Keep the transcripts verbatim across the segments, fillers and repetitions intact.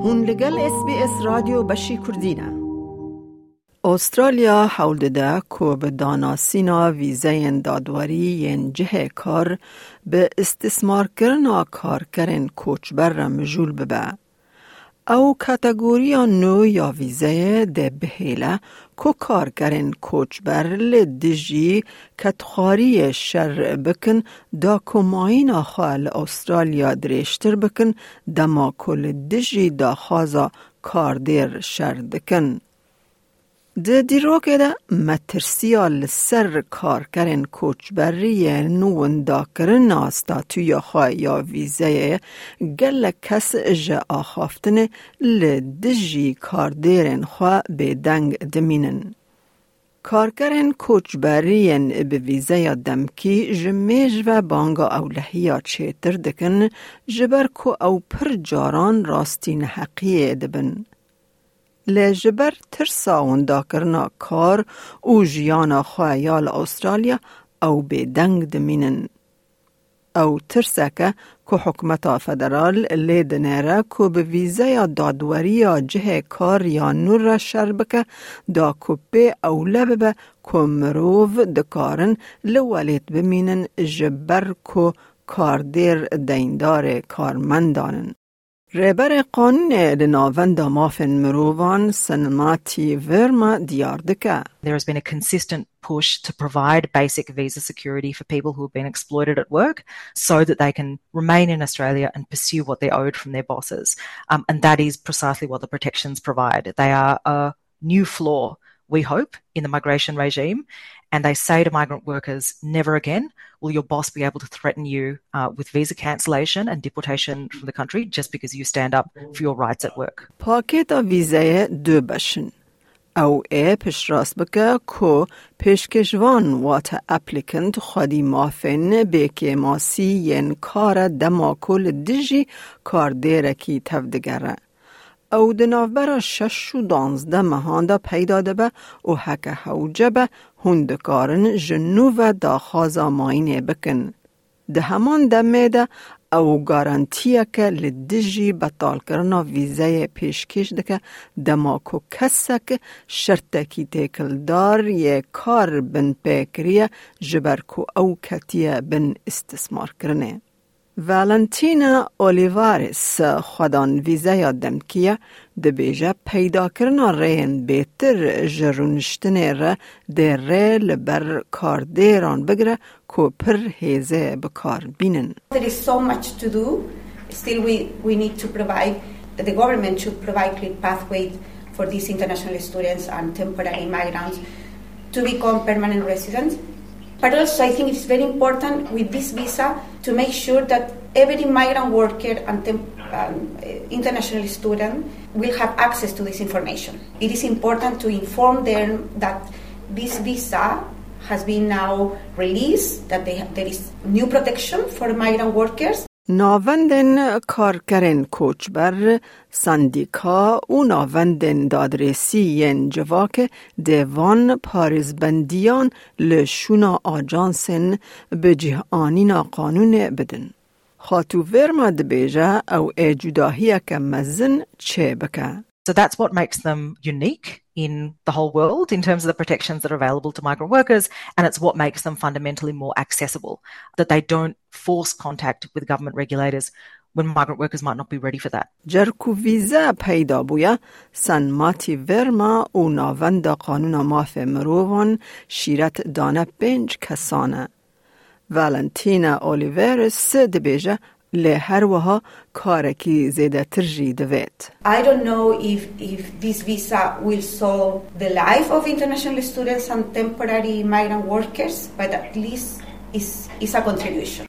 Hûn li gel S B S Radyo Beşî Kurdî ne. Australya hewl dide ku bi danasîna vîzeyên dadwerî yên cihê kar bi îstismarkirina karkerên koçber re mijûl bibe. Ew kategoriya nû ya vîzeyê dê bihêle ku karkerên koçber li dijî kedxwariyê şer bikin, da ku mayîna xwe li Australya dirêjtir bikin, dema ku li dijî daxwaza kardêr şer dikin. Di dîrokê de metirsiya li ser karkerên koçberî yên windakirina statûya xwe ya vîzeyê gelek kes ji axaftinê li dijî kardêrên xwe bêdeng dimînin. Karkerên koçberî yên bi vîzeya demkî ji mêj ve banga ewlehiya çêtir dikin, ji ber ku ew pir caran rastî neheqiyê dibin. Lê ji ber tirsa windakirina kar û jiyana xwe ya li Australya ew bêdeng dimînin. Ew tirsek e ku hikûmeta federal lê dinêre ku bi vîzeya dadweriya cihê kar ya nû re şer bike, da ku pê ewle bibe ku mirov dikarin li welêt bimînin ji ber ku kardêr deyndarê karmendan in. Rêberê qanûnê li Navenda Mafên Mirovan Sanmati Verma diyar dike. There has been a consistent push to provide basic visa security for people who have been exploited at work so that they can remain in Australia and pursue what they're owed from their bosses. Um, and that is precisely what the protections provide. They are a new floor, we hope, in the migration regime. And they say to migrant workers, "Never again will your boss be able to threaten you, uh, with visa cancellation and deportation from the country just because you stand up for your rights at work." Pakêta vîzeyê du beş in. Ew ê piştrast bike ku pêşkêşvan, wate applicant, xwedî mafên bêkêmasî yên kar e dema ku li dijî kardêrekî tevdigere. Ew di navbera şeş û duwazdeh mehan de peyda dibe û heke hewce be, hûn dikarin ji nû ve daxwaza mayînê bikin. Di heman demê de ew garantiyeke li dijî betalkirina vîzeyê pêşkêş dike, dema ku kesek şertekî têkildar yê kar binpê kiriye, ji ber ku ew ketiye bin îstismarkirinê. Valentina Olivares, xwedan vîzeya demkî ye, dibêje, peydakirina rêyên bêtir ji rûniştinê re dê rê li ber kardêran bigire ku pir hêzê bi kar bînin. There is so much to do. Still, we, we need to provide, the government should provide clear pathway for these international students and temporary migrants to become permanent residents. But also, I think it's very important with this visa to make sure that every migrant worker and temp-, um, international student will have access to this information. It is important to inform them that this visa has been now released, that they, there is new protection for migrant workers. Navendên karkerên koçber, sendîka û navendên dadrêsî yên civakê dê van parêzbendiyan li şûna ajansên bi cih anîna qanûnê bidin. Xatû Verma dibêje ew ê cudahiyeke mezin çêbike. So that's what makes them unique in the whole world in terms of the protections that are available to migrant workers, and it's what makes them fundamentally more accessible, that they don't force contact with government regulators when migrant workers might not be ready for that. Cer ku vîze peyda bûye, Sanmati Verma û Navenda Qanûna Mafê Mirovan şîret dane pênc kesan e. Valentina Oliveris dibêje, lê her wiha karekî zêdetir jî divêt. I don't know if, if this visa will solve the life of international students and temporary migrant workers, but at least it's, it's a contribution.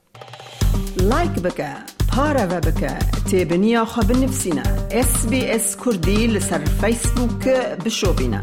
Like bike, pareve bike, têbiniya xwe binivîsîne, S B S Kurdî li ser Facebook bişopîne.